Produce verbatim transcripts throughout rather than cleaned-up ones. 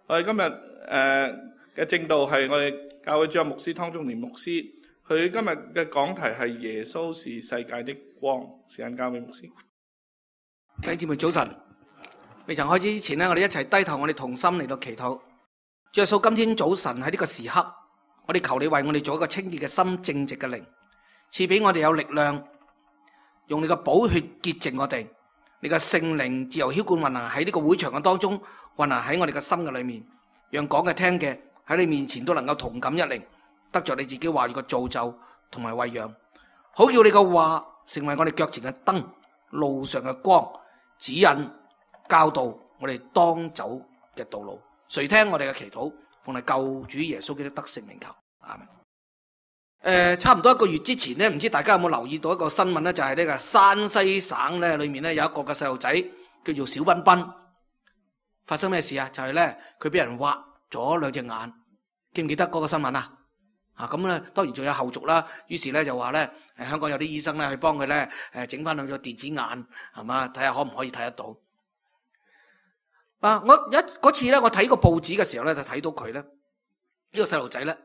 我哋今日誒嘅正道係我哋教會主任牧師湯中年牧師，佢今日嘅講題係耶穌是世界的光。時間交俾牧師。弟兄姊妹早晨，未曾開始之前呢，我哋一齊低頭，我哋同心嚟到祈禱。主耶穌，今天早晨喺呢個時刻，我哋求你為我哋做一個清潔嘅心、正直嘅靈，賜俾我哋有力量，用你嘅寶血潔淨我哋，你嘅聖靈自由澆灌運行喺呢個會場嘅當中，運行喺我哋嘅心嘅裏面，讓講嘅聽嘅喺你面前都能夠同感一靈，得着你自己話語嘅造就同埋餵養，好叫你嘅話成為我哋腳前嘅燈，路上嘅光，指引教導我哋當走嘅道路。垂聽我哋嘅祈禱，奉係救主耶穌基督得勝名求，阿門。誒、呃，差唔多一個月之前呢，唔知大家有冇留意到一個新聞呢？就係、是、呢個山西省呢裏面呢有一個嘅細路仔叫做小彬彬，發生咩事啊？就係呢，佢俾人挖咗兩隻眼，記唔記得嗰個新聞啊？啊咁咧，當然仲有後續啦。於是咧就話咧，誒香港有啲醫生咧去幫佢咧，誒整翻兩隻電子眼，係嘛，睇下可唔可以睇得到。啊！我一嗰次咧，我睇個報紙嘅時候咧，就睇到佢咧，呢個細路仔咧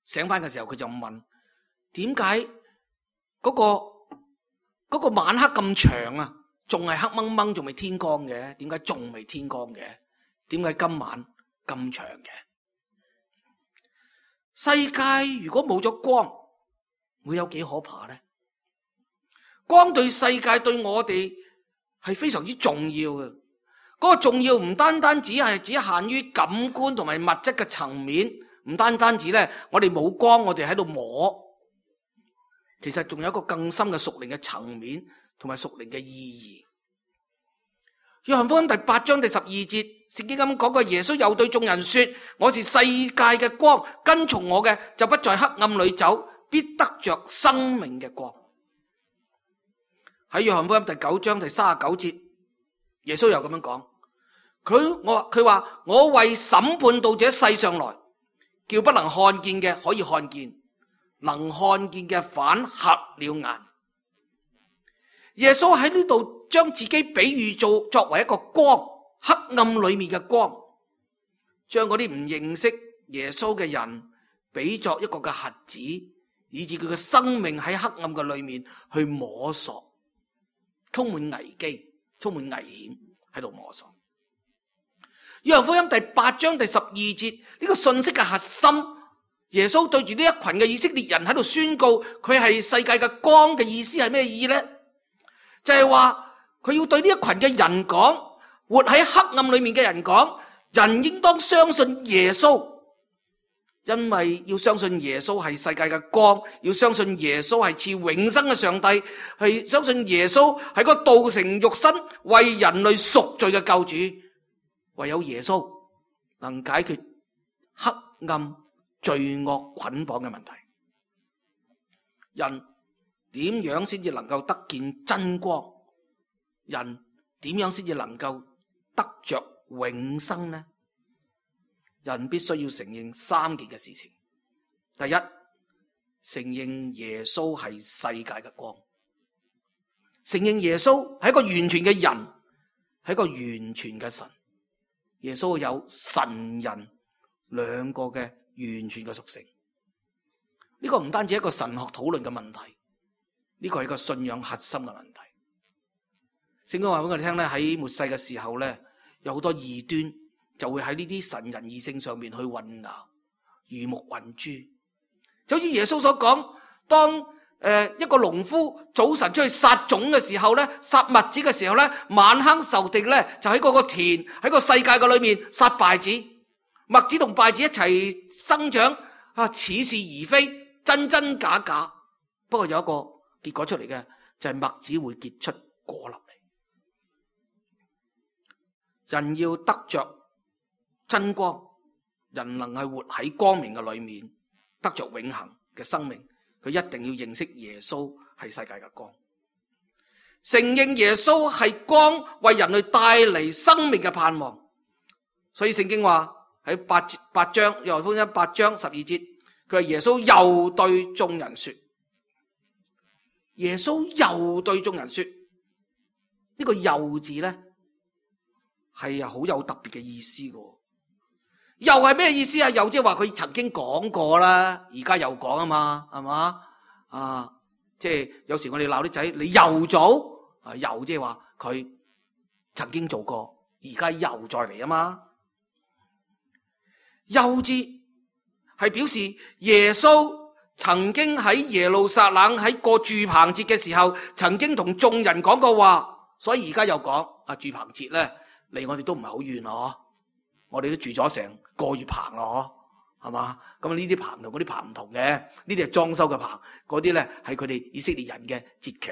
醒翻嘅時候，佢就問：點解嗰個嗰個晚黑咁長啊？仲係黑掹掹，仲未天光嘅？點解仲未天光嘅？點解今晚咁長嘅？世界如果冇咗光，會有幾可怕呢？光對世界對我哋係非常之重要嘅。嗰個重要唔單單只係只限於感官同埋物質嘅層面，唔單單止咧，我哋冇光，我哋喺度摸，其實仲有一個更深嘅屬靈嘅層面同埋屬靈嘅意義。約翰福音第八章第十二節，聖經咁講過，耶穌又對眾人說：我是世界嘅光，跟從我嘅就不在黑暗裏走，必得着生命嘅光。喺約翰福音第九章第三十九節，耶穌又咁樣講，佢我佢話我為審判到這世上來，叫不能看見嘅可以看見，能看見嘅反瞎了眼。耶穌喺呢度將自己比喻做作為一個光，黑暗裏面嘅光，將嗰啲唔認識耶穌嘅人比作一個嘅瞎子，以致佢嘅生命喺黑暗嘅裏面去摸索，充滿危機，充滿危險喺度摸索。約翰福音第八章第十二節，呢個信息嘅核心，耶穌對住呢一群嘅以色列人喺度宣告佢係世界嘅光嘅意思係咩意義呢？就係話佢要對呢一群嘅人講，活喺黑暗裏面嘅人講，人應當相信耶穌，因為要相信耶穌係世界嘅光，要相信耶穌係賜永生嘅上帝，係相信耶穌係個道成肉身為人類贖罪嘅救主。唯有耶穌能解決黑暗罪惡捆綁嘅問題。人點樣先至能夠得見真光？人點樣先至能夠得着永生呢？人必須要承認三件嘅事情。第一，承認耶穌係世界嘅光，承認耶穌係一個完全嘅人，係一個完全嘅神。耶穌有神人兩個嘅完全嘅屬性。呢個唔單止係一個神學討論嘅問題，呢個係一個信仰核心嘅問題。聖經話俾我哋聽咧，喺末世嘅時候咧，有好多異端就會喺呢啲神人異性上面去混淆，魚目混珠。就好似耶穌所講，當誒、呃、一個農夫早晨出去撒種嘅時候咧，撒麥子嘅時候咧，晚黑仇敵咧就喺嗰個田喺個世界嘅裏面撒稗子，麥子同稗子一齊生長啊，似是而非，真真假假。不過有一個結果出嚟嘅就係麥子會結出果粒嚟。人要得着真光，人能係活喺光明嘅裏面，得着永恆嘅生命，佢一定要認識耶穌係世界嘅光，承認耶穌係光，為人類帶嚟生命嘅盼望。所以聖經話喺八八章約翰福音八章十二節，佢話耶穌又對眾人說，耶穌又對眾人說，呢個又字咧係好有特別嘅意思嘅。又係咩意思啊？又即係話佢曾經講過啦，而家又講啊嘛，係嘛？啊，即係有時我哋鬧啲仔，你又做啊，又即係話佢曾經做過，而家又再嚟啊嘛。又字係表示耶穌曾經喺耶路撒冷喺過住棚節嘅時候，曾經同眾人講過話，所以而家又講啊，住棚節咧離我哋都唔係好遠咯，我哋都住咗成個月棚咯，係嘛？咁呢啲棚同嗰啲棚唔同嘅，呢啲係裝修嘅棚，嗰啲咧係佢哋以色列人嘅節期。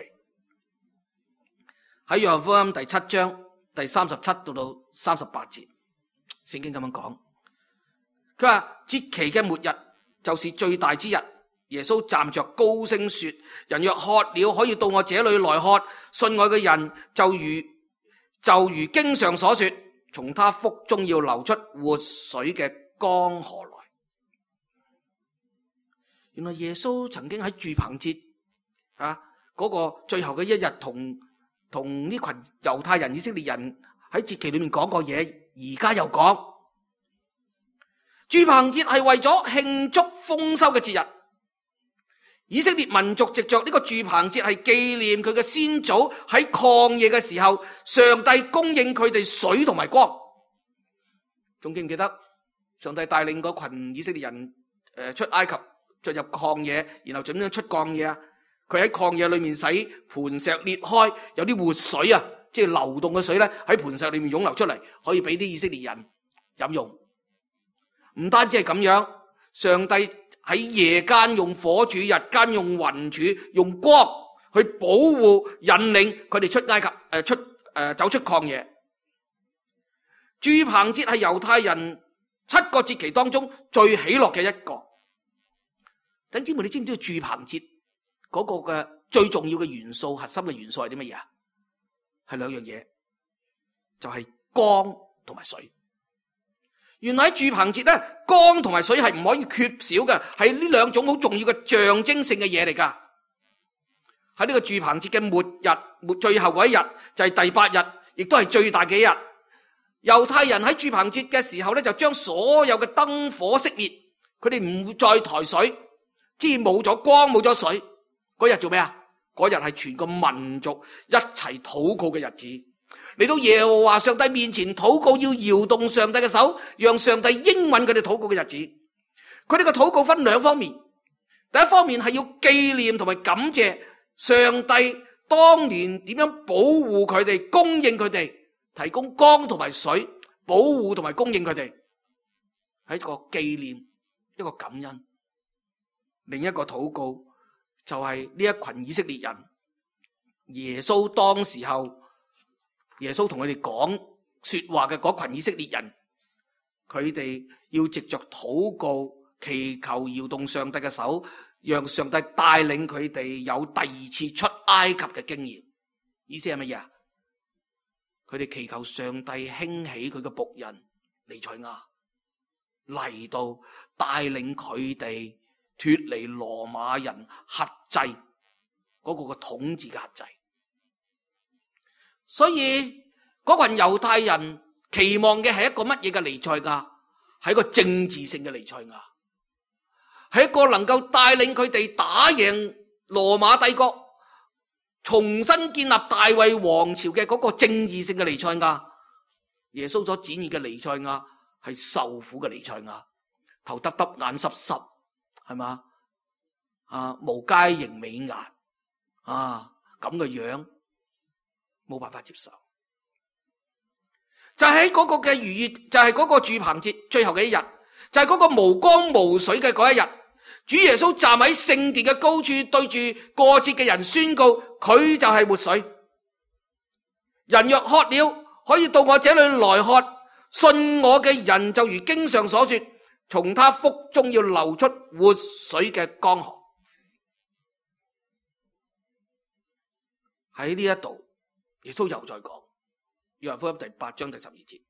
喺約翰福音第七章第三十七到到三十八節，聖經咁樣講，佢話節期嘅末日就是最大之日。耶穌站着高聲說：人若渴了，可以到我這裏來喝。信我嘅人就如就如經上所說，從他腹中要流出活水嘅江河來。原來耶穌曾經喺住棚節啊嗰個最後嘅一日，同同呢群猶太人、以色列人喺節期裏面講過嘢，而家又講住棚節係為咗慶祝豐收嘅節日。以色列民族藉着呢個住棚節係紀念佢嘅先祖喺曠野嘅時候，上帝供應佢哋水同埋光。仲記唔記得上帝帶領嗰群以色列人誒出埃及進入曠野，然後點樣出曠野啊？佢喺曠野裏面使磐石裂開，有啲活水啊，即係流動嘅水咧喺磐石裏面湧流出嚟，可以俾啲以色列人飲用。唔單止係咁樣，上帝喺夜間用火柱，日間用雲柱，用光去保護引領佢哋出埃及誒、呃、出誒、呃、走出曠野。住棚節係猶太人七個節期當中最喜樂嘅一個。弟兄姊妹，你知唔知道住棚節嗰個嘅最重要嘅元素、核心嘅元素係啲乜嘢啊？係兩樣嘢，就係、是、光同埋水。原來喺住棚節咧，光同埋水係唔可以缺少嘅，係呢兩種好重要嘅象徵性嘅嘢嚟噶。喺呢個住棚節嘅末日，末最後嗰一日就係第八日，亦都係最大嘅一日。猶太人喺住棚節嘅時候咧，就將所有嘅燈火熄滅，佢哋唔會再抬水，即係冇咗光冇咗水。嗰日做咩啊？嗰日係全個民族一齊禱告嘅日子。嚟到耶和華上帝面前禱告，要搖動上帝嘅手，讓上帝應允佢哋禱告嘅日子。佢哋嘅禱告分兩方面，第一方面係要紀念同埋感謝上帝當年點樣保護佢哋、供應佢哋、提供光同埋水、保護同埋供應佢哋，係一個紀念，一個感恩。另一個禱告就係呢一群以色列人，耶穌當時候。耶穌同佢哋講說話嘅嗰群以色列人，佢哋要藉着禱告、祈求、搖動上帝嘅手，讓上帝帶領佢哋有第二次出埃及嘅經驗。意思係乜嘢啊？佢哋祈求上帝興起佢嘅僕人彌賽亞嚟到帶領佢哋脫離羅馬人轄制嗰個嘅統治嘅轄制。所以嗰群猶太人期望嘅係一個乜嘢嘅彌賽亞？係一個政治性嘅彌賽亞，係一個能夠帶領佢哋打贏羅馬帝國，重新建立大衛王朝嘅嗰個正義性嘅彌賽亞。耶穌所展現嘅彌賽亞係受苦嘅彌賽亞，頭耷耷眼濕濕，係嘛？啊，無佳形美顏啊，咁嘅樣。冇辦法接受，就喺嗰個嘅逾越，就係嗰個住棚節最後嘅一日，就係嗰個無光無水嘅嗰一日。主耶穌站喺聖殿嘅高處，對住過節嘅人宣告，佢就係活水。人若渴了，可以到我這裏來喝。信我嘅人就如經上所說，從他腹中要流出活水嘅江河。喺呢一度。耶穌又再講，約翰福音第八章第十二節，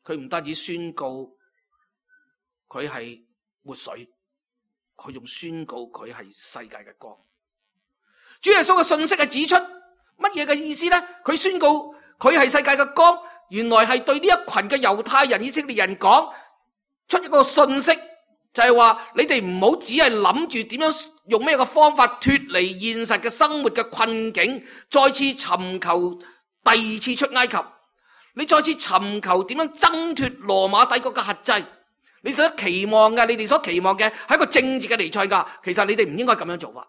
佢唔單止宣告佢係活水，佢仲宣告佢係世界嘅光。主耶穌嘅信息係指出乜嘢嘅意思呢？佢宣告佢係世界嘅光，原來係對呢一群嘅猶太人、以色列人講出一個信息，就係話你哋唔好只係諗住點樣用咩嘅方法脫離現實嘅生活嘅困境，再次尋求第二次出埃及。你再次尋求點樣掙脫羅馬帝國嘅轄制。你所期望嘅，你哋所期望嘅係一個政治嘅彌賽亞，其實你哋唔應該咁樣做法。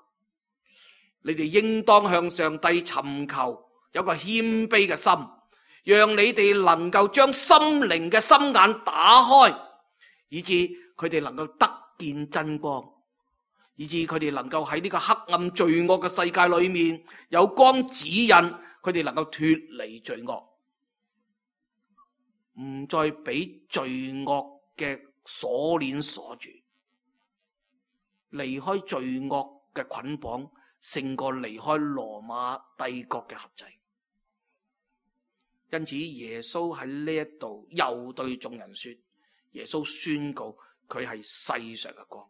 你哋應當向上帝尋求有個謙卑嘅心，讓你哋能夠將心靈嘅心眼打開，以致佢哋能夠得見真光，以致佢哋能夠喺呢個黑暗罪惡嘅世界裏面有光指引，佢哋能夠脫離罪惡，唔再俾罪惡嘅鎖鏈鎖住，離開罪惡嘅捆綁，勝過離開羅馬帝國嘅轄制。因此耶穌喺呢一度又對眾人說，耶穌宣告佢係世上嘅光，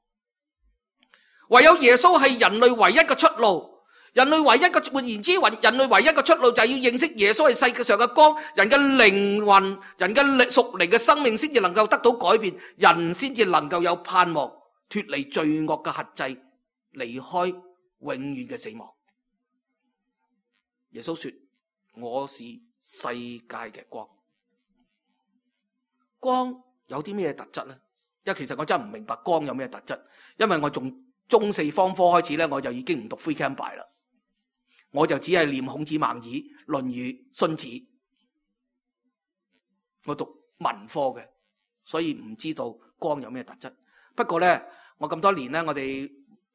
唯有耶穌係人類唯一嘅出路。人類唯一嘅，換言之，人類唯一嘅出路就係要認識耶穌係世界上嘅光，人嘅靈魂、人嘅屬靈嘅生命先至能夠得到改變，人先至能夠有盼望，脫離罪惡嘅轄制，離開永遠嘅死亡。耶穌說：我是世界嘅光。光有啲咩特質呢？因為其實我真係唔明白光有咩特質，因為我從中四方科開始咧，我就已經唔讀 free camp by 啦。我就只係念孔子、孟子、論語、荀子，我讀文科嘅，所以唔知道光有咩特質。不過咧，我咁多年咧，我哋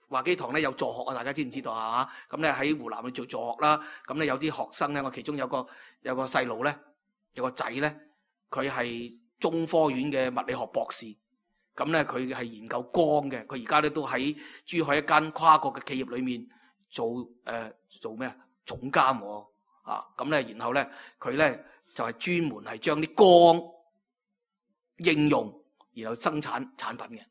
華基堂咧有助學啊，大家知唔知道啊？咁咧喺湖南去做助學啦。咁咧有啲學生咧，我其中有個有個細路咧，有個仔咧，佢係中科院嘅物理學博士。咁咧佢係研究光嘅，佢而家咧都喺珠海一間跨國嘅企業裏面做誒、呃、做咩啊總監喎啊！咁咧然後咧佢咧就係、是、專門係將啲光應用，然後生產產品嘅。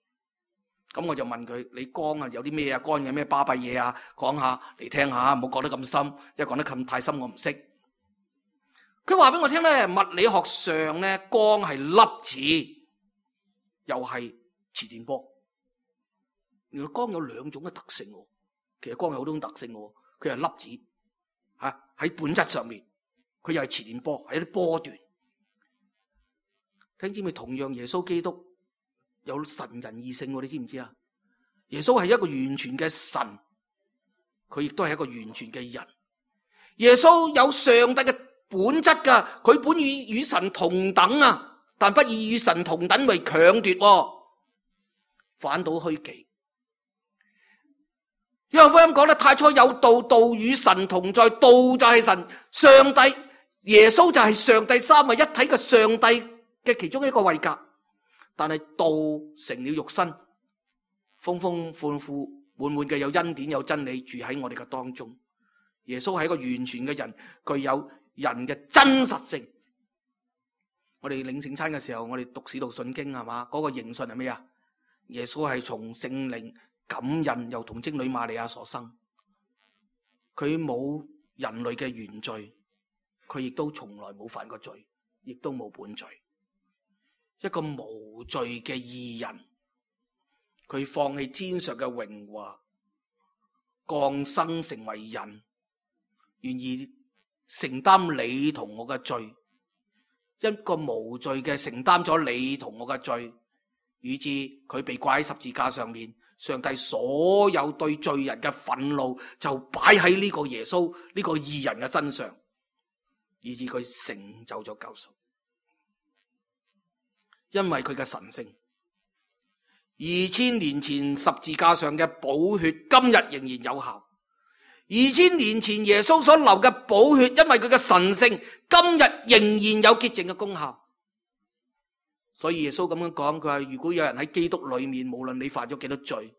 咁我就問佢：你光啊有啲咩啊？光有咩巴閉嘢啊？講下嚟聽下，唔好講得咁深，因為講得咁太深我唔識。佢話俾我聽咧，物理學上咧光係粒子。又係磁電波，原來光有兩種嘅特性，其實光有好多種特性，佢係粒子吓喺本質上面，佢又係磁電波，係一啲波段。聽知咪同樣耶穌基督有神人二性，你知唔知啊？耶穌係一個完全嘅神，佢亦都係一個完全嘅人。耶穌有上帝嘅本質噶，佢本與與神同等啊。但不以與神同等為強奪，反倒虛己。約翰福音講得太初有道，道與神同在，道就係神，上帝耶穌就係上帝三位一體嘅上帝嘅其中一個位格。但係道成了肉身，豐豐富富滿滿嘅有恩典有真理住喺我哋嘅當中。耶穌係一個完全嘅人，具有人嘅真實性。我哋領聖餐嘅時候，我哋讀使徒信經係嘛？嗰個認信係咩啊？耶穌係從聖靈感孕，又同精女瑪利亞所生。佢冇人類嘅原罪，佢亦都從來冇犯過罪，亦都冇本罪。一個無罪嘅義人，佢放棄天上嘅榮華，降生成為人，願意承擔你同我嘅罪。一個無罪嘅承擔咗你同我嘅罪，以致佢被掛喺十字架上面，上帝所有對罪人嘅憤怒就擺喺呢個耶穌呢個義人嘅身上，以致佢成就咗救贖。因為佢嘅神聖，二千年前十字架上嘅寶血今日仍然有效。二千年前耶穌所流嘅寶血，因為佢嘅神聖，今日仍然有潔淨嘅功效。所以耶穌咁樣講，佢話如果有人喺基督裏面，無論你犯咗幾多罪，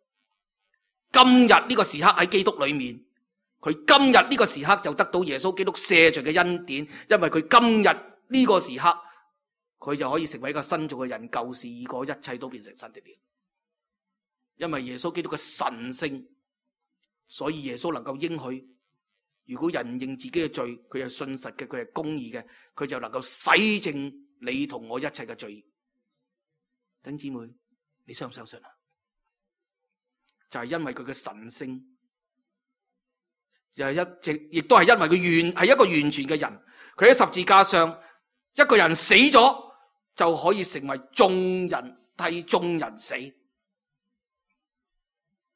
今日呢個時刻喺基督裏面，佢今日呢個時刻就得到耶穌基督赦罪嘅恩典，因為佢今日呢個時刻，佢就可以成為一個新造嘅人，舊事已過，一切都變成新的了。因為耶穌基督嘅神聖。所以耶穌能夠應許如果人認自己嘅罪，佢係信實嘅，佢係公義嘅，佢就能夠洗淨你同我一切嘅罪。弟兄姊妹，你相唔相信啊？就係因為佢嘅神聖，又係一直，亦都係因為佢完係一個完全嘅人。佢喺十字架上，一個人死咗就可以成為眾人替眾人死。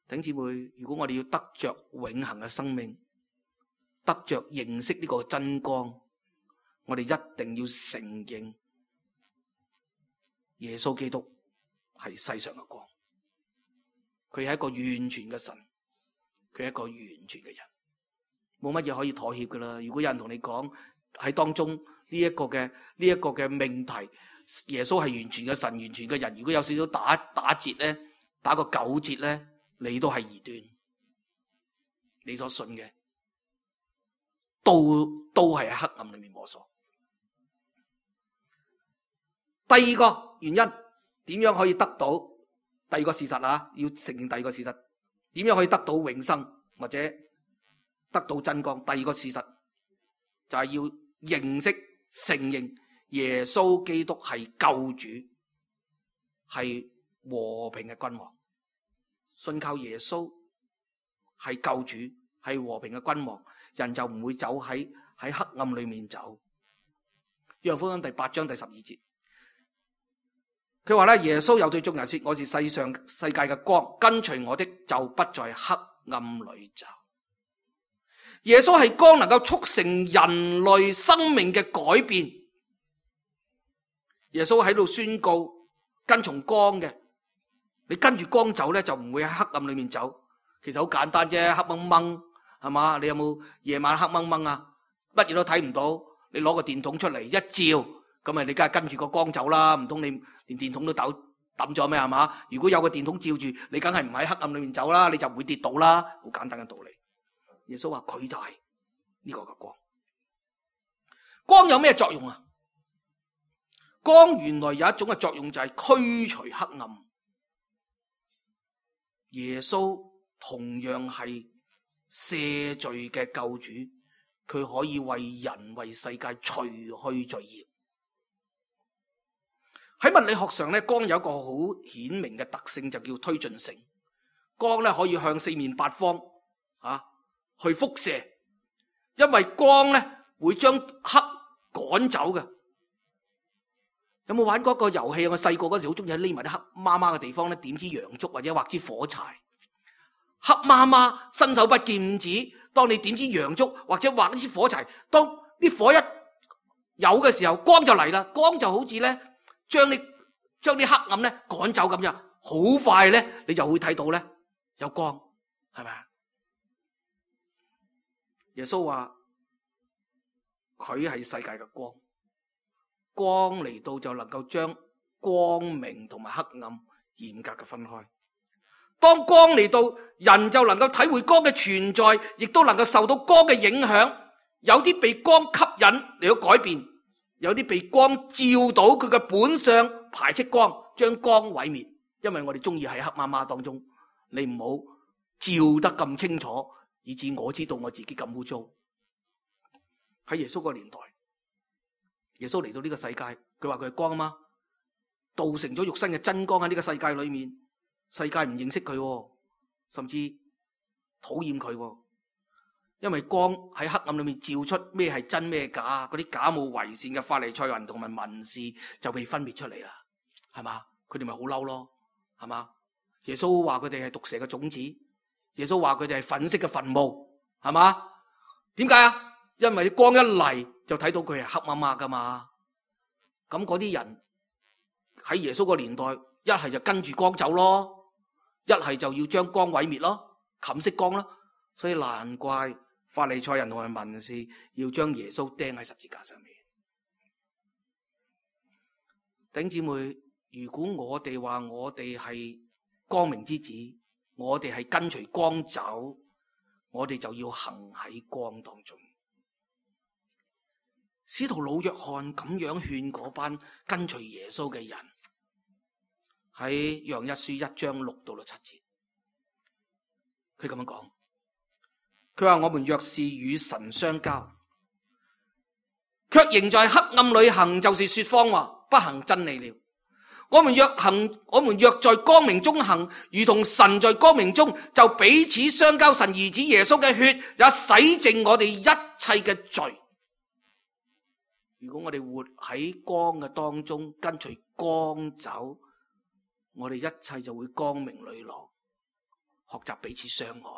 弟兄姊妹，如果我哋要得着永恆嘅生命，得着認識呢個真光，我哋一定要承認耶穌基督係世上嘅光。佢係一個完全嘅神，佢係一個完全嘅人，冇乜嘢可以妥協噶啦。如果有人同你講喺當中呢一個嘅呢一個嘅命題，耶穌係完全嘅神、完全嘅人，如果有少少打打折咧，打個九折咧，你都係異端，你所信嘅都都係喺黑暗裏面摸索。第二個原因，點樣可以得到？第二個事實啊，要承認第二個事實，點樣可以得到永生或者得到真光？第二個事實就係要認識、承認耶穌基督係救主，係和平嘅君王。信靠耶穌係救主，係和平嘅君王，人就唔會走喺喺黑暗裏面走。約翰福音第八章第十二節。佢話咧，耶穌又對眾人說：我是世上世界嘅光，跟隨我的就不在黑暗裏走。耶穌係光，能夠促成人類生命嘅改變。耶穌喺度宣告跟從光嘅，你跟住光走咧，就唔會喺黑暗裏面走。其實好簡單啫，黑掹掹係嘛？你有冇夜晚黑掹掹啊？乜嘢都睇唔到，你攞個電筒出嚟一照，咁咪你梗係跟住個光走啦，唔通你連電筒都抌抌咗咩係嘛？如果有個電筒照住，你梗係唔喺黑暗裏面走啦，你就唔會跌倒啦。好簡單嘅道理。耶穌話佢就係呢個嘅光。光有咩作用啊？光原來有一種嘅作用就係驅除黑暗。耶穌同樣係赦罪嘅救主，佢可以為人為世界除去罪孽。喺物理學上咧，光有一個好顯明嘅特性，就叫推進性。光咧可以向四面八方啊去輻射，因為光咧會將黑趕走嘅。有冇玩過一個遊戲？我細個嗰時好中意喺匿埋啲黑麻麻嘅地方咧，點支洋燭或者畫支火柴。黑麻麻伸手不見五指，當你點支洋燭或者畫支火柴，當啲火一有嘅時候，光就嚟啦。光就好似咧。將你將啲黑暗咧趕走咁樣，好快咧，你就會睇到咧有光，係咪啊？耶穌話佢係世界嘅光，光嚟到就能夠將光明同埋黑暗嚴格嘅分開。當光嚟到，人就能夠體會光嘅存在，亦都能夠受到光嘅影響。有啲被光吸引嚟到改變。有啲被光照到佢嘅本相，排斥光，將光毀滅。因為我哋中意喺黑麻麻當中，你唔好照得咁清楚，以致我知道我自己咁污糟。喺耶穌個年代，耶穌嚟到呢個世界，佢話佢係光啊嘛，道成咗肉身嘅真光喺呢個世界裏面，世界唔認識佢，甚至討厭佢。因為光喺黑暗裏面照出咩係真咩假，嗰啲假冒偽善嘅法利賽人同埋文士就被分別出嚟啦，係嘛？佢哋咪好嬲咯，係嘛？耶穌話佢哋係毒蛇嘅種子，耶穌話佢哋係粉色嘅墳墓，係嘛？點解啊？因為光一嚟就睇到佢係黑麻麻噶嘛。咁嗰啲人喺耶穌個年代，一係就跟住光走咯，一係就要將光毀滅咯，冚熄光咯。所以難怪法利賽人同埋文士要將耶穌釘喺十字架上面。弟兄姊妹，如果我哋話我哋係光明之子，我哋係跟隨光走，我哋就要行喺光當中。使徒老約翰咁樣勸嗰班跟隨耶穌嘅人，喺約翰一書一章六到六七節，佢咁樣講。佢話我們若是與神相交，卻仍在黑暗裏行，就是說謊話，不行真理了。我們若行，我們若在光明中行，如同神在光明中，就彼此相交。神兒子耶穌嘅血也洗淨我哋一切嘅罪。如果我哋活喺光嘅當中，跟隨光走，我哋一切就會光明磊落，學習彼此相愛。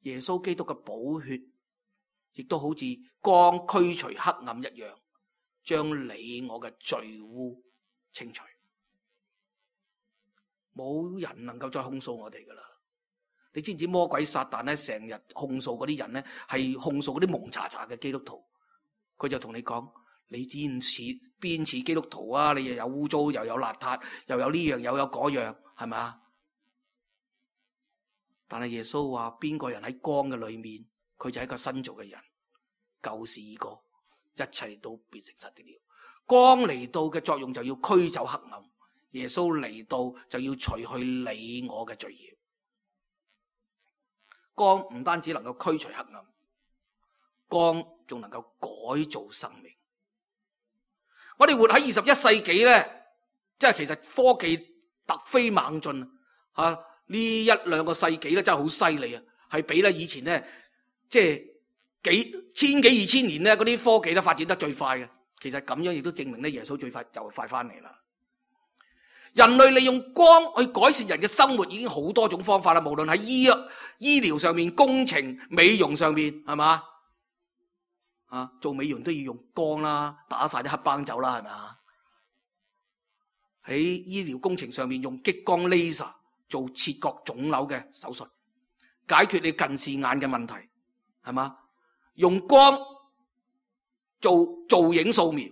耶穌基督嘅寶血亦都好似光驅除黑暗一樣，將你我嘅罪污清除。冇人能夠再控訴我哋噶啦。你知唔知魔鬼撒旦咧成日控訴嗰啲人咧，係控訴嗰啲蒙查查嘅基督徒。佢就同你講，你邊似邊似基督徒啊？你又有污糟，又有邋遢，又有呢樣，又有嗰樣，係咪？但係耶穌話，邊個人喺光嘅裏面，佢就係一個新造嘅人，舊事已過，一切都變成實的了。光嚟到嘅作用就要驅走黑暗，耶穌嚟到就要除去你我嘅罪孽。光唔單止能夠驅除黑暗，光仲能夠改造生命。我哋活喺二十一世紀咧，即係其實科技突飛猛進啊！呢一兩個世紀咧真係好犀利啊，係比咧以前咧即係幾千幾二千年咧嗰啲科技咧發展得最快嘅。其實咁樣亦都證明咧耶穌最快就快翻嚟啦。人類利用光去改善人嘅生活已經好多種方法啦，無論喺醫醫療上面、工程、美容上面，係嘛？啊，做美容都要用光啦，打晒啲黑斑走啦，係咪？喺醫療工程上面用激光 laser 做切割腫瘤嘅手術，解決你近視眼嘅問題，係嘛？用光做造影掃描，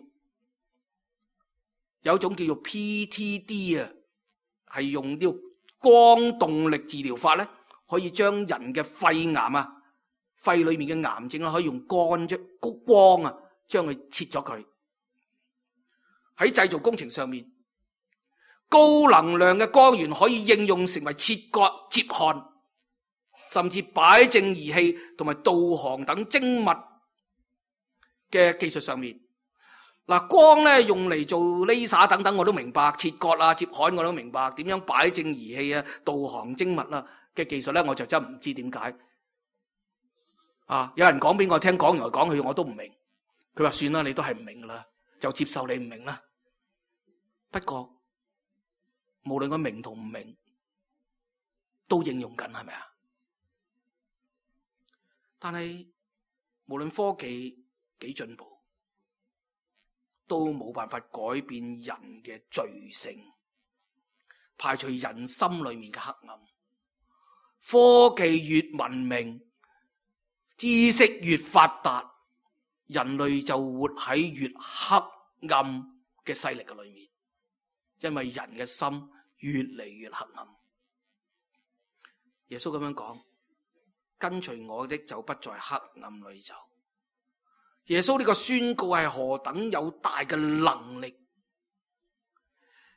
有一種叫做 P T D 啊，係用呢個光動力治療法咧，可以將人嘅肺癌啊。肺裏面嘅癌症可以用光啫，光啊，將佢切咗佢。喺製造工程上面，高能量嘅光源可以應用成為切割、接焊，甚至擺正儀器同埋導航等精密嘅技術上面。嗱，光咧用嚟做 laser 等等我都明白，切割啊、接焊我都明白，點樣擺正儀器啊、導航精密啊嘅技術咧，我就真唔知點解。啊！有人講俾我聽，講來講去我都唔明。佢話算啦，你都係唔明噶啦，就接受你唔明啦。不過無論我明同唔明，都應用緊，係咪啊？但係無論科技幾進步，都冇辦法改變人嘅罪性，排除人心裏面嘅黑暗。科技越文明，知識越發達，人類就活喺越黑暗嘅勢力嘅裏面，因為人嘅心越嚟越黑暗。耶穌咁樣講，跟隨我的就不在黑暗裏走。耶穌呢個宣告係何等有大嘅能力。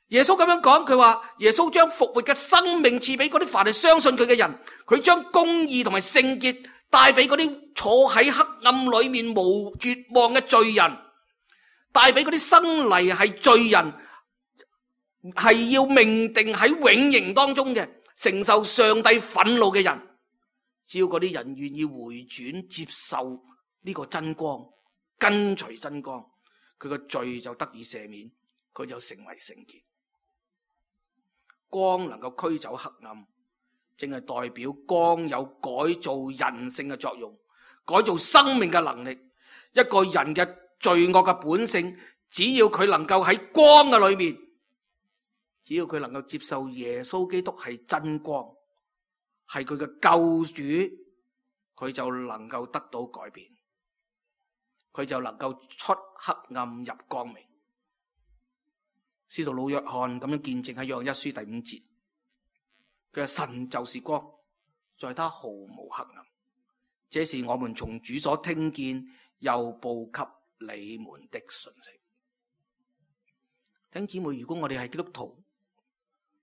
耶穌咁樣講，佢話耶穌將復活嘅生命賜俾嗰啲凡係相信佢嘅人，佢將公義同埋聖潔帶俾嗰啲坐喺黑暗裏面無絕望嘅罪人，帶俾嗰啲生嚟係罪人，係要命定喺永刑當中嘅，承受上帝憤怒嘅人。只要嗰啲人願意回轉接受呢個真光，跟隨真光，佢個罪就得以赦免，佢就成為聖潔。光能夠驅走黑暗，正係代表光有改造人性嘅作用，改造生命嘅能力。一個人嘅罪惡嘅本性，只要佢能夠喺光嘅裏面，只要佢能夠接受耶穌基督係真光，係佢嘅救主，佢就能夠得到改變，佢就能夠出黑暗入光明。使徒老約翰咁樣見證喺約翰一書第五節，佢話神就是光，在他毫無黑暗。這是我們從主所聽見又報給你們的信息。弟兄姊妹，如果我哋係基督徒，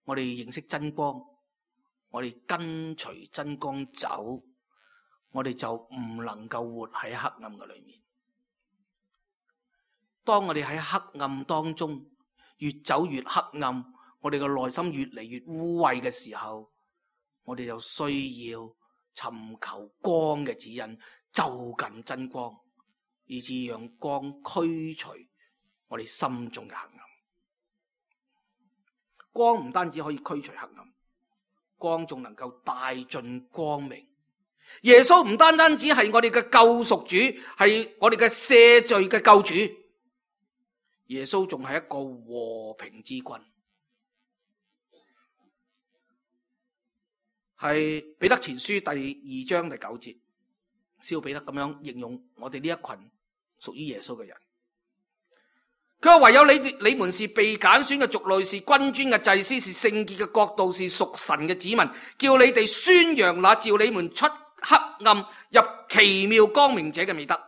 我哋認識真光，我哋跟隨真光走，我哋就唔能夠活喺黑暗嘅裏面。當我哋喺黑暗當中越走越黑暗，我哋嘅內心越嚟越污穢嘅時候，我哋就需要尋求光嘅指引，就近真光，以致讓光驅除我哋心中嘅黑暗。光唔單止可以驅除黑暗，光仲能夠帶進光明。耶穌唔單單只係我哋嘅救贖主，係我哋嘅赦罪嘅救主，耶穌仲係一個和平之君。係彼得前書第二章第九節，使徒彼得咁樣形容我哋呢一群屬於耶穌嘅人。佢話唯有你哋，你們是被揀選嘅族類，是君尊嘅祭司，是聖潔嘅國度，是屬神嘅子民，叫你哋宣揚那召你們出黑暗入奇妙光明者嘅美德。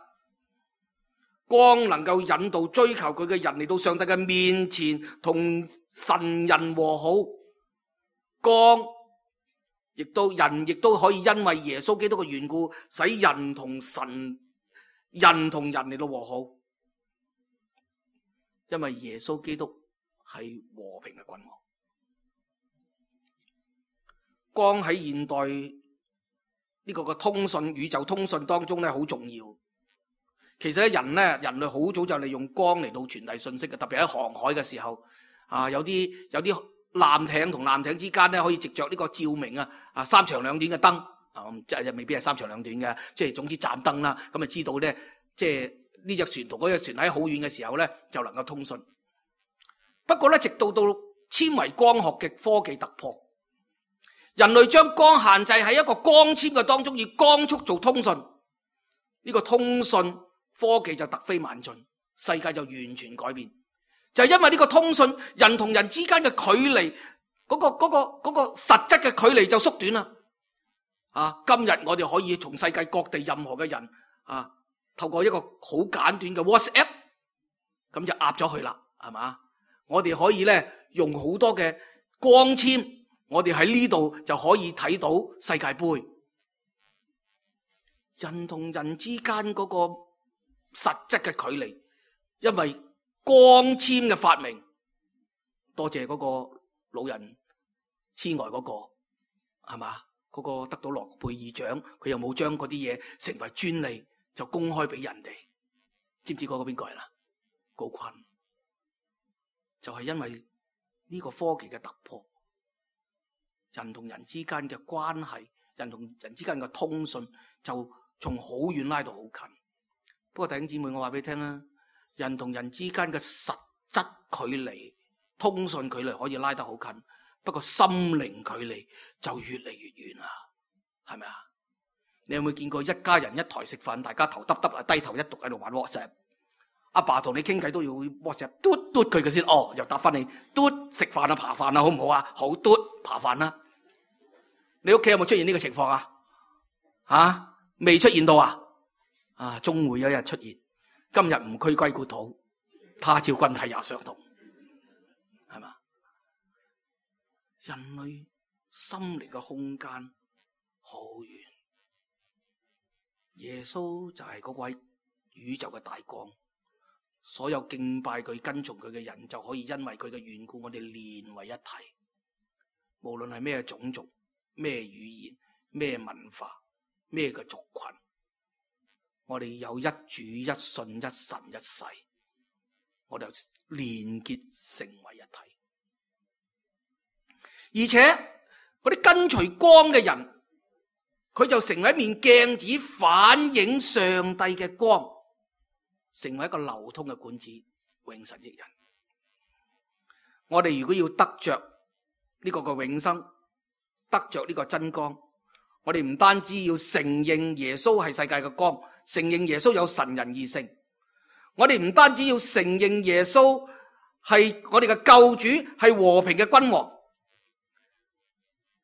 光能夠引導追求佢嘅人嚟到上帝嘅面前，同神人和好。光亦都人亦都可以因為耶穌基督嘅緣故，使人同神、人同人嚟到和好。因為耶穌基督係和平嘅君王。光喺現代呢個嘅通訊、宇宙通訊當中咧，好重要。其實咧，人咧，人類好早就利用光嚟到傳遞信息嘅，特別喺航海嘅時候，啊，有啲有啲艦艇同艦艇之間咧，可以藉着呢個照明啊，啊三長兩短嘅燈，啊，即係未必係三長兩短嘅，即係總之盞燈啦，咁啊知道咧，即係呢隻船同嗰隻船喺好遠嘅時候咧，就能夠通訊。不過咧，直到到纖維光學嘅科技突破，人類將光限制喺一個光纖嘅當中，以光速做通訊，呢個通訊科技就突飛猛進，世界就完全改變。就係因為呢個通訊，人同人之間嘅距離，嗰個嗰個嗰個實質嘅距離就縮短啦。啊，今日我哋可以從世界各地任何嘅人啊，透過一個好簡短嘅 WhatsApp， 咁就壓咗佢啦，係嘛？我哋可以咧用好多嘅光纖，我哋喺呢度就可以睇到世界盃。人同人之間嗰個實質嘅距離，因為光纖嘅發明，多謝嗰個老人痴呆嗰個，係嘛？嗰個得到諾貝爾獎，佢又冇將嗰啲嘢成為專利，就公開俾人哋。知唔知嗰個邊個係啦？高錕。就係因為呢個科技嘅突破，人同人之間嘅關係，人同人之間嘅通訊就從好遠拉到好近。不過弟兄姊妹，我話俾你聽啊，人同人之間嘅實質距離、通訊距離可以拉得好近，不過心靈距離就越嚟越遠啦，係咪啊？你有冇見過一家人一台食飯，大家頭耷耷啊，低頭一讀喺度玩 WhatsApp？阿爸同你傾偈都要 WhatsApp 嘟嘟佢嘅先，哦，又答翻你嘟食飯啊，扒飯啊，好唔好啊？好嘟扒飯啦。你屋企有冇出現呢個情況啊？吓，未出現到啊？啊，終會有一日出現。今日唔驅歸故土，他朝君體也相同，係嘛？人類心靈嘅空間好遠，耶穌就係嗰位宇宙嘅大光。所有敬拜佢、跟從佢嘅人，就可以因為佢嘅緣故，我哋連為一體。無論係咩種族、咩語言、咩文化、咩嘅族群，我哋有一主、一信、一神、一世，我哋連結成為一體。而且嗰啲跟隨光嘅人，佢就成為一面鏡子，反映上帝嘅光。成為一個流通嘅管子，永神益人。我哋如果要得着呢個嘅永生，得着呢個真光，我哋唔單止要承認耶穌係世界嘅光，承認耶穌有神人二性。我哋唔單止要承認耶穌係我哋嘅救主，係和平嘅君王，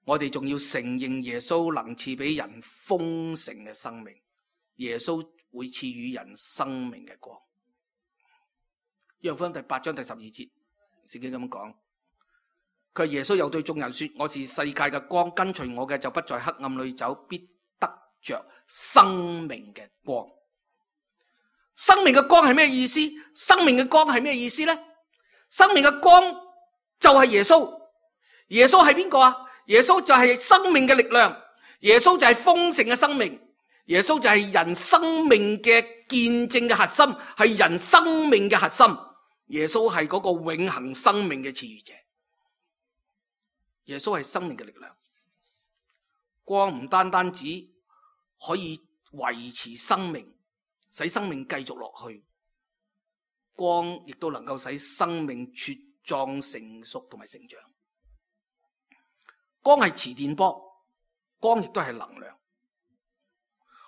我哋仲要承認耶穌能賜俾人豐盛嘅生命。耶穌會賜予人生命嘅光。約翰福音第八章第十二節，聖經咁講，佢耶穌又對眾人說：我是世界嘅光，跟隨我嘅就不在黑暗裏走，必得着生命嘅光。生命嘅光係咩意思？生命嘅光係咩意思呢？生命嘅光就係耶穌。耶穌係邊個啊？耶穌就係生命嘅力量，耶穌就係豐盛嘅生命，耶穌就係人生命嘅見證嘅核心，係人生命嘅核心。耶穌係嗰個永恆生命嘅賜予者。耶穌係生命嘅力量。光唔單單只可以維持生命，使生命繼續落去，光亦都能夠使生命茁壯成熟同埋成長。光係磁電波，光亦都係能量。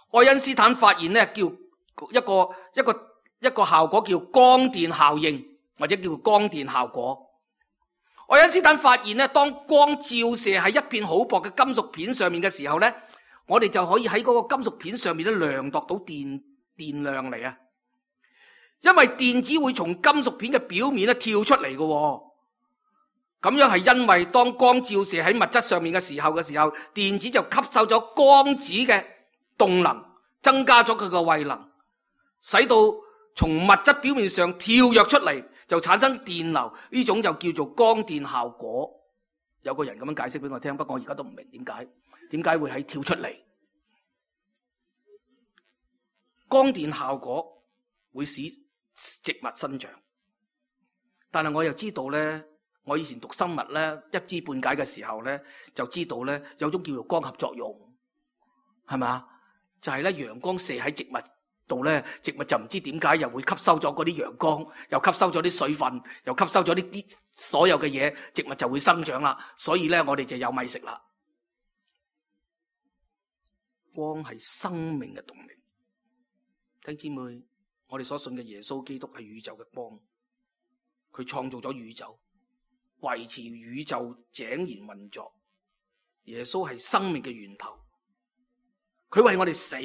愛因斯坦發現咧，叫一個一個一個效果叫光電效應，或者叫光電效果。愛因斯坦發現咧，當光照射喺一片好薄嘅金屬片上面嘅時候咧，我哋就可以喺嗰個金屬片上面咧量度到電電量嚟啊。因為電子會從金屬片嘅表面咧跳出嚟嘅。咁樣係因為當光照射喺物質上面嘅時候嘅時候，電子就吸收咗光子嘅動能，增加咗佢個位能，使到從物質表面上跳躍出嚟，就產生電流。呢種就叫做光電效果。有個人咁樣解釋俾我聽，不過我而家都唔明點解，點解會喺跳出嚟。光電效果會使植物生長，但係我又知道咧。我以前讀生物咧，一知半解嘅時候咧，就知道咧有種叫做光合作用，係咪？就係咧陽光射喺植物度咧，植物就唔知點解又會吸收咗嗰啲陽光，又吸收咗啲水分，又吸收咗呢啲所有嘅嘢，植物就會生長啦。所以咧，我哋就有米食啦。光係生命嘅動力。弟兄姊妹，我哋所信嘅耶穌基督係宇宙嘅光，佢創造咗宇宙。維持宇宙井然運作。耶穌係生命嘅源頭，佢為我哋死，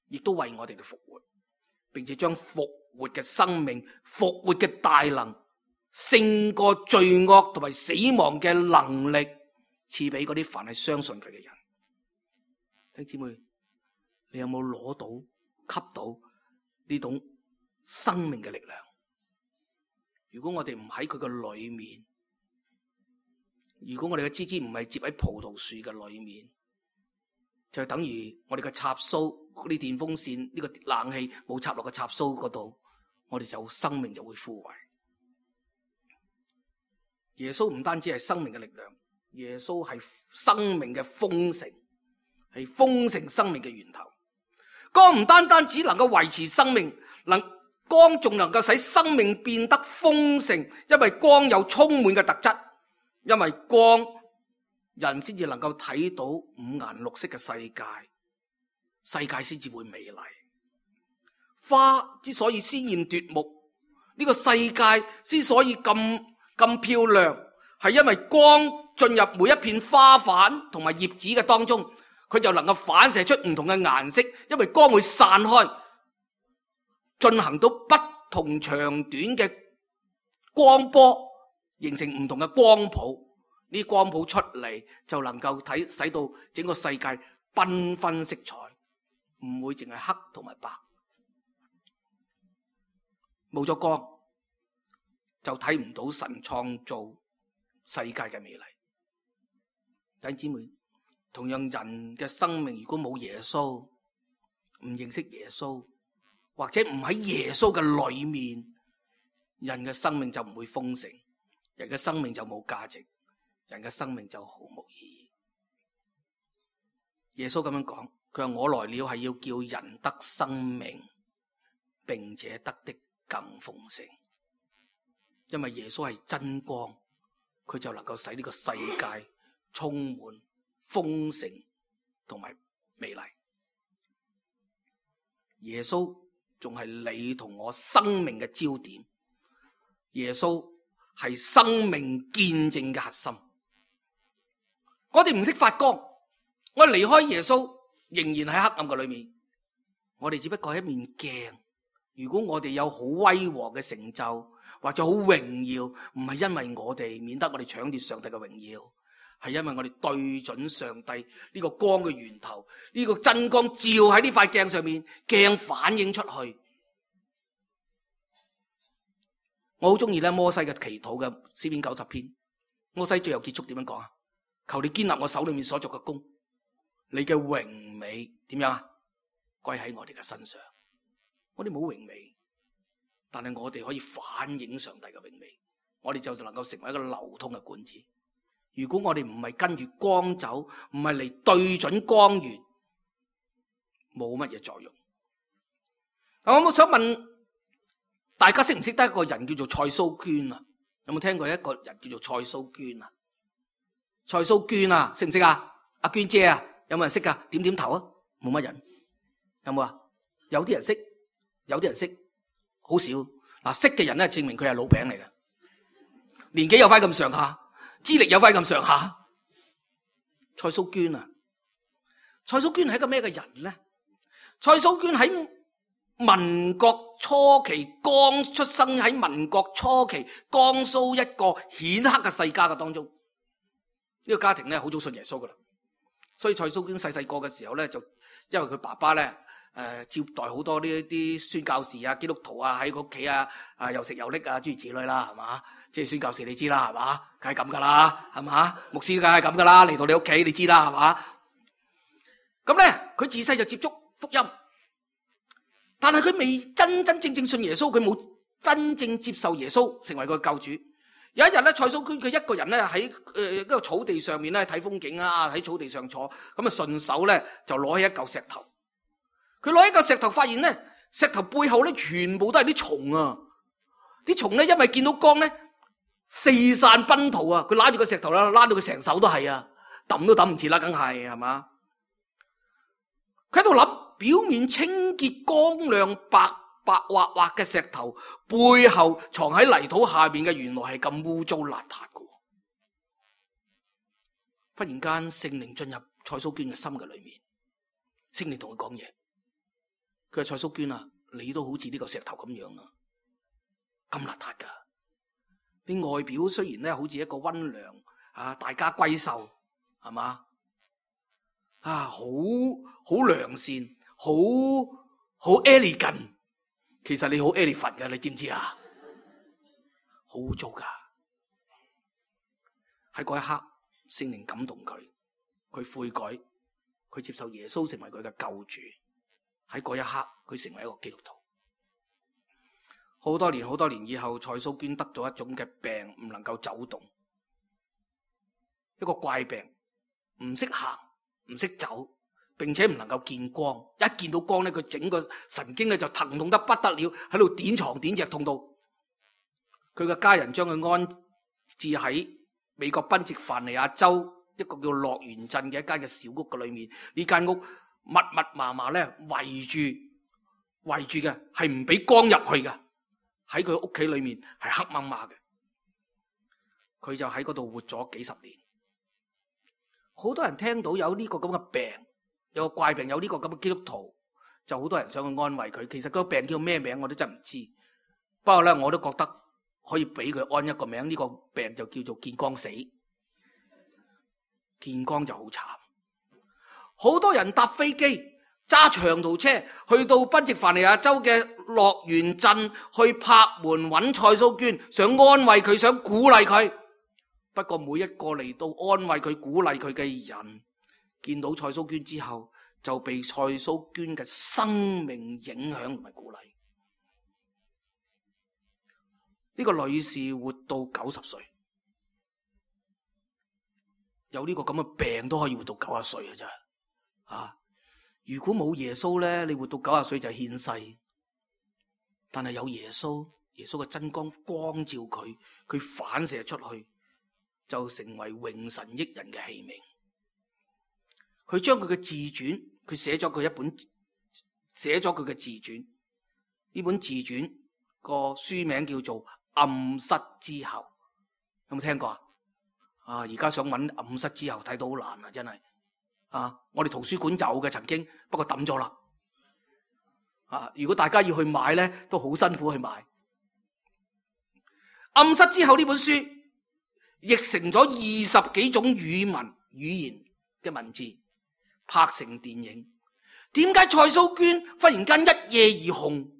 亦都為我哋嘅復活，並且將復活嘅生命、復活嘅大能、勝過罪惡同埋死亡嘅能力賜俾嗰啲凡係相信佢嘅人。弟兄姊妹，你有冇攞到、吸到呢種生命嘅力量？如果我哋唔喺佢嘅裏面，如果我哋嘅枝枝唔係接喺葡萄樹嘅裏面，就等於我哋嘅插蘇嗰啲電風扇，呢個冷氣冇插落個插蘇嗰度，我哋就生命就會枯萎。耶穌唔單止係生命嘅力量，耶穌係生命嘅豐盛，係豐盛生命嘅源頭。光唔單單只能夠維持生命，能光仲能夠使生命變得豐盛，因為光有充滿嘅特質，因為光人先至能夠睇到五顏六色嘅世界，世界先至會美麗。花之所以鮮艷奪目，呢個世界之所以咁咁漂亮，係因為光進入每一片花瓣同埋葉子嘅當中，佢就能夠反射出唔同嘅顏色，因為光會散開，進行到不同長短嘅光波，形成唔同嘅光譜。呢啲光譜出嚟就能夠睇，使到整個世界繽紛色彩，唔會淨係黑同埋白。冇咗光就睇唔到神創造世界嘅美麗。弟兄姊妹，同樣人嘅生命如果冇耶穌，唔認識耶穌，或者唔喺耶穌嘅裏面，人嘅生命就唔會豐盛，人嘅生命就冇價值，人嘅生命就毫無意義。耶穌咁樣講，佢話我來了係要叫人得生命，並且得的更豐盛。因為耶穌係真光，佢就能夠使呢個世界充滿豐盛同埋美麗。耶穌仲係你同我生命嘅焦點，耶穌係生命見證嘅核心。我哋唔識發光，我哋離開耶穌仍然喺黑暗嘅裏面，我哋只不過係一面鏡。如果我哋有好威煌嘅成就或者好榮耀，唔係因為我哋，免得我哋搶奪上帝嘅榮耀，係因為我哋對準上帝呢個光嘅源頭，呢個真光照喺呢塊鏡上面，鏡反映出去。我好中意咧摩西嘅祈禱嘅詩篇九十篇，摩西最後結束點樣講啊？求你堅立我手裏面所作嘅工，你嘅榮美點樣啊？歸喺我哋嘅身上。我哋冇榮美，但係我哋可以反映上帝嘅榮美，我哋就能夠成為一個流通嘅管子。如果我哋唔係跟住光走，唔係嚟對準光源，冇乜嘢作用。我我想問大家識唔識得一個人叫做蔡蘇娟啊？有冇聽過一個人叫做蔡蘇娟啊？蔡蘇娟啊，識唔識啊？阿娟姐啊，有冇人識噶？點點頭啊，冇乜人。有冇啊？有啲人識，有啲人識，好少。嗱，識嘅人咧，證明佢係老餅嚟嘅，年紀有翻咁上下，資歷有翻咁上下。蔡蘇娟啊，蔡蘇娟係一個咩嘅人咧？蔡蘇娟喺民國初期，剛出生喺民國初期，江蘇一個顯赫嘅世家嘅當中。呢、這個家庭咧好早信耶穌噶啦，所以蔡蘇娟細細個嘅時候咧，就因為佢爸爸咧誒、呃、接待好多呢一啲宣教士啊、基督徒啊喺佢屋企啊，啊又食又拎啊諸如此類啦，係嘛？即係宣教士你知啦，係嘛？梗係咁噶啦，係嘛？牧師梗係咁噶啦，嚟到你屋企你知啦，係嘛？咁咧佢自細就接觸福音，但係佢未真真正正信耶穌，佢冇真正接受耶穌成為佢嘅救主。有一日咧，蔡蘇娟佢一個人咧喺誒一個草地上面咧睇風景啊，喺草地上坐，咁啊順手咧就攞起一嚿石頭。佢攞起一嚿石頭，發現咧石頭背後咧全部都係啲蟲啊！啲蟲咧因為見到光咧四散奔逃啊！佢拉住個石頭啦，拉到佢成手都係啊，抌都抌唔切啦，梗係係嘛？佢喺度諗，表面清潔光亮白白滑滑嘅石頭，背後藏喺泥土下面嘅，原來係咁污糟邋遢嘅。忽然間，聖靈進入蔡蘇娟嘅心嘅裏面，聖靈同佢講嘢。佢話：蔡蘇娟啊，你都好似呢個石頭咁樣啊，咁邋遢噶。你外表雖然咧好似一個溫良啊，大家閨秀，係嘛啊，好好良善，好好 elegant。其實你好 elephant 噶，你知唔知啊？好污糟噶。喺嗰一刻，聖靈感動佢，佢悔改，佢接受耶穌成為佢嘅救主。喺嗰一刻，佢成為一個基督徒。好多年好多年以後，蔡蘇娟得咗一種嘅病，唔能夠走動，一個怪病，唔識行，唔識走。並且唔能夠見光，一見到光咧，佢整個神經咧就疼痛得不得了，喺度點床點隻，痛到佢嘅家人將佢安置喺美國賓夕凡尼亞州一個叫樂園鎮嘅一間嘅小屋嘅裏面。呢間屋密密麻麻咧圍住圍住嘅，係唔俾光入去嘅。喺佢屋企裏面係黑掹掹嘅，佢就喺嗰度活咗幾十年。好多人聽到有呢個咁嘅病，有個怪病，有呢個咁嘅基督徒，就好多人想去安慰佢。其實嗰個病叫咩名我都真唔知，不過咧我都覺得可以俾佢安一個名，呢個病就叫做見光死。見光就好慘，好多人搭飛機揸長途車去到賓夕凡尼亞州嘅樂園鎮去拍門揾蔡蘇娟，想安慰佢，想鼓勵佢。不過每一個嚟到安慰佢、鼓勵佢嘅人，見到蔡蘇娟之後，就被蔡蘇娟嘅生命影響同埋鼓勵。呢個女士活到九十歲，有呢個咁嘅病都可以活到九十歲啊！真係啊！如果冇耶穌咧，你活到九十歲就係獻世。但係有耶穌，耶穌嘅真光光照佢，佢反射出去，就成為榮神益人嘅器皿。佢將佢嘅自傳，佢寫咗佢一本，寫咗佢嘅自傳。呢本自傳個書名叫做《暗室之後》，有冇聽過啊？啊，而家想揾《暗室之後》睇到好難啊，真係啊！我哋圖書館有嘅曾經，不過抌咗啦。啊，如果大家要去買咧，都好辛苦去買。《暗室之後》呢本書譯成咗二十幾種語文語言嘅文字，拍成電影。點解蔡蘇娟忽然間一夜而紅？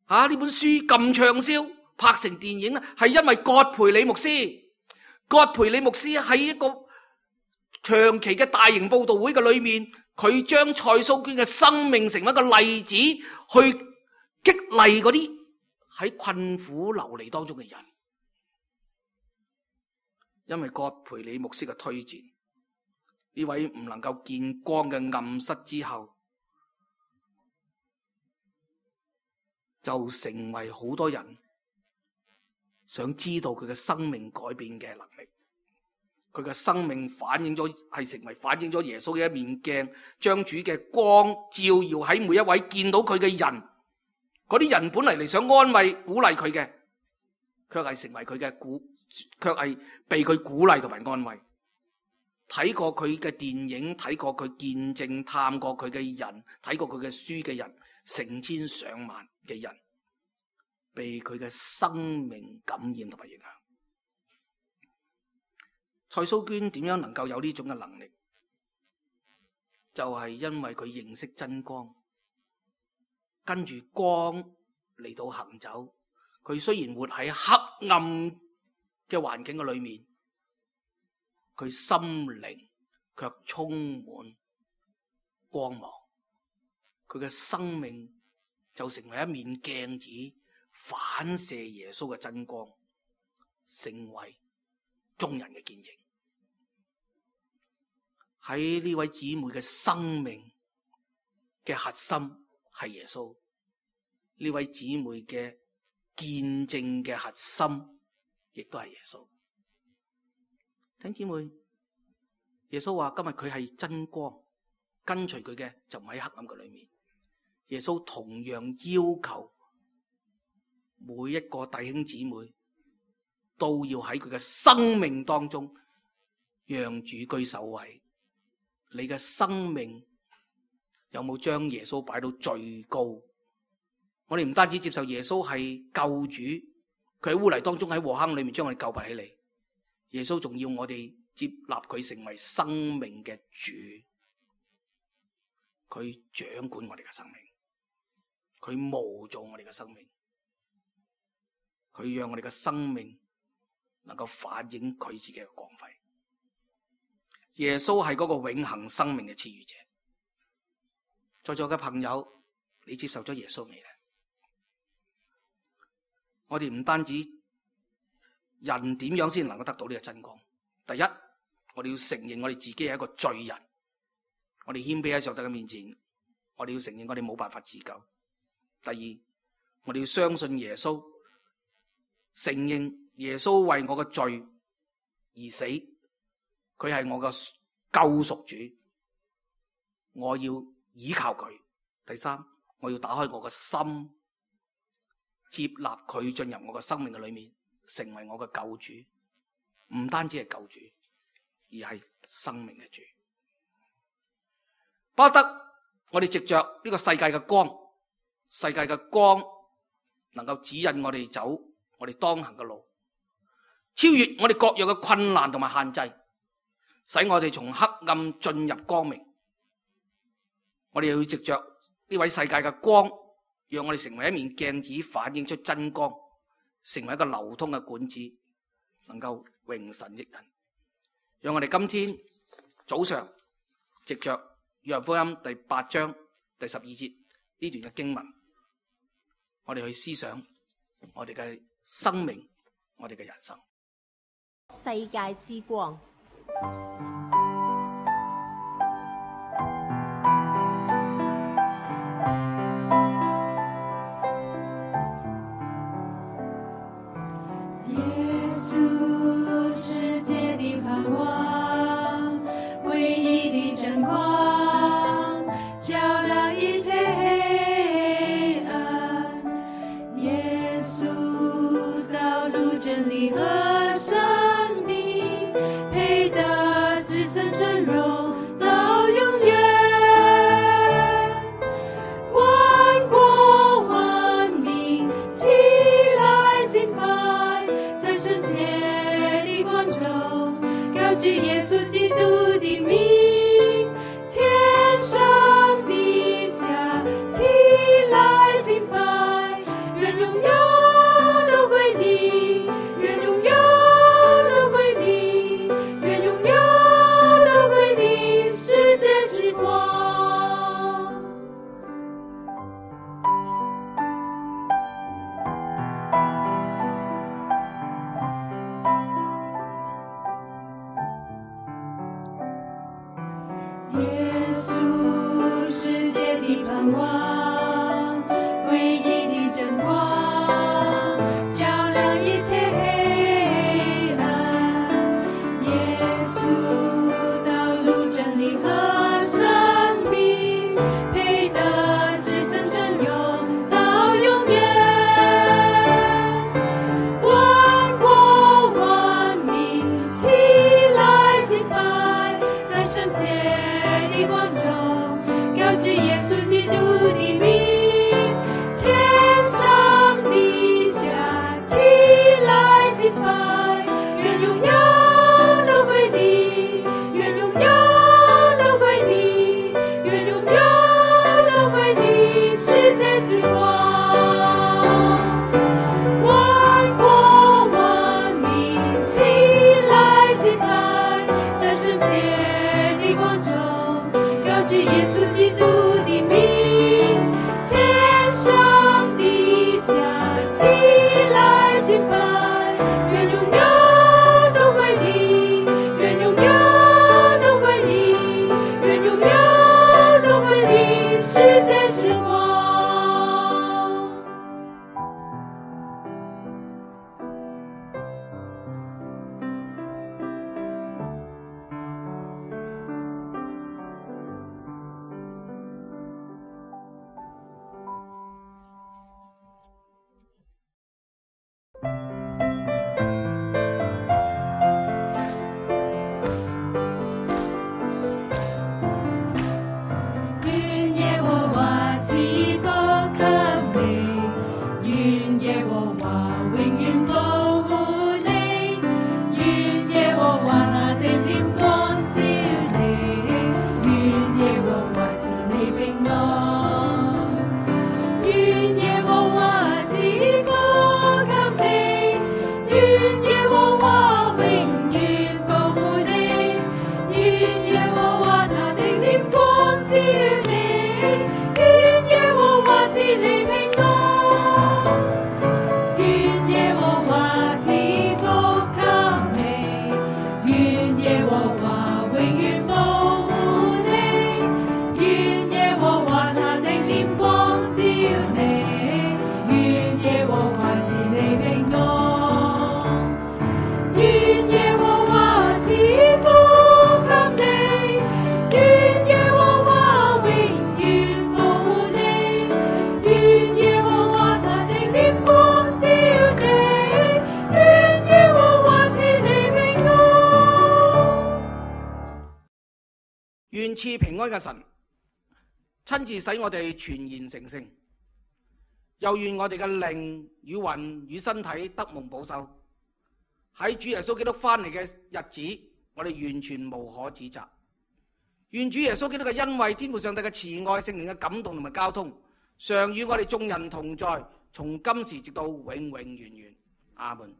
啊！呢本書咁暢銷，拍成電影咧，係因為葛培理牧師。葛培理牧師喺一個長期嘅大型佈道會嘅裏面，佢將蔡蘇娟嘅生命成為一個例子，去激勵嗰啲喺困苦流離當中嘅人。因為葛培理牧師嘅推薦，呢位唔能夠見光嘅暗室之後，就成為好多人想知道佢嘅生命改變嘅能力。佢嘅生命反映咗，係成為反映咗耶穌嘅一面鏡，將主嘅光照耀喺每一位見到佢嘅人。嗰啲人本嚟嚟想安慰鼓勵佢嘅，卻係成為佢嘅鼓，卻係被佢鼓勵同埋安慰。睇過佢嘅電影，睇過佢見證，探過佢嘅人，睇過佢嘅書嘅人，成千上萬嘅人被佢嘅生命感染同埋影響。蔡蘇娟點樣能夠有呢種嘅能力？就係因為佢認識真光，跟住光嚟到行走。佢雖然活喺黑暗嘅環境嘅裏面，佢心靈卻充滿光芒。佢嘅生命就成為一面鏡子，反射耶穌嘅真光，成為眾人嘅見證。喺呢位姊妹嘅生命嘅核心係耶穌，呢位姊妹嘅見證嘅核心亦都係耶穌。聽姊妹，耶穌話今日佢係真光，跟隨佢嘅就唔喺黑暗嘅裏面。耶穌同樣要求每一個弟兄姊妹都要喺佢嘅生命當中讓主居首位。你嘅生命有冇將耶穌擺到最高？我哋唔單止接受耶穌係救主，佢喺污泥當中喺禍坑裏面將我哋救拔起嚟，耶穌仲要我哋接納佢成為生命嘅主，佢掌管我哋嘅生命，佢模造我哋嘅生命，佢讓我哋嘅生命能夠反映佢自己嘅光輝。耶穌係嗰個永恆生命嘅賜予者。在座嘅朋友，你接受咗耶穌未呢？我哋唔單止人點樣先能夠得到呢個真光。第一，我哋要承認我哋自己係一個罪人，我哋謙卑喺上帝嘅面前，我哋要承認我哋冇辦法自救。第二，我哋要相信耶穌，承認耶穌為我嘅罪而死，佢係我嘅救贖主，我要依靠佢。第三，我要打開我嘅心，接納佢進入我嘅生命嘅裏面，成為我嘅救主。唔單止係救主，而係生命嘅主。巴不得我哋藉着呢個世界嘅光，世界嘅光能夠指引我哋走我哋當行嘅路，超越我哋各樣嘅困難同埋限制，使我哋從黑暗進入光明。我哋要藉着呢位世界嘅光，讓我哋成為一面鏡子，反映出真光，成為一個流通嘅管子，能夠榮神益人。讓我哋今天早上藉着約翰福音第八章第十二節呢段嘅經文，我哋去思想我哋嘅生命，我哋嘅人生。世界之光。耶穌，世界的盼望，唯一的真光，照亮一切黑暗。耶穌，道路真理和生命，配得自舉耶穌基督的名，天上地下起來敬拜，願榮耀都歸你，願榮耀都歸你，願榮耀都歸你，世界之光。耶穌，世界的盼望，唯一的真光，照亮一切黑暗。耶穌，道路真理和生命，配得至聖真榮到永遠。萬國萬民起來敬拜，在聖潔的光中，高舉耶穌基督的名，天上地下起來敬拜，願榮耀都歸你，願榮耀都歸你，願榮耀都歸你，世界之光。萬國萬民起來敬拜，在聖潔的光中，高舉耶穌基督的名，天上地下起來敬拜，願榮耀都歸你，願榮耀都歸你，願榮耀都歸你，世界之光。願耶和華賜福給你，願耶和華永遠保護你，願耶和華他的臉光照你，願耶和華賜你平安，願耶和華賜福給你，願耶和華永遠保護你，願耶和華他的臉光照你，願耶和華賜你平安，願耶和華賜福給你，願耶和華永遠保護你，願耶和華他的臉光照你，願耶和華賜你平安，願耶和華賜福給你，願耶和華永遠保護你，願耶和華他的臉光照你，願耶和華賜你平安。願賜平安嘅神親自使我哋全然成聖，又願我哋嘅靈與魂與身體得蒙保守，喺主耶穌基督翻嚟嘅日子，我哋完全無可指責。願主耶穌基督嘅恩惠、天父上帝嘅慈愛、聖靈嘅感動同埋交通，常與我哋眾人同在，從今時直到永永遠遠。阿門。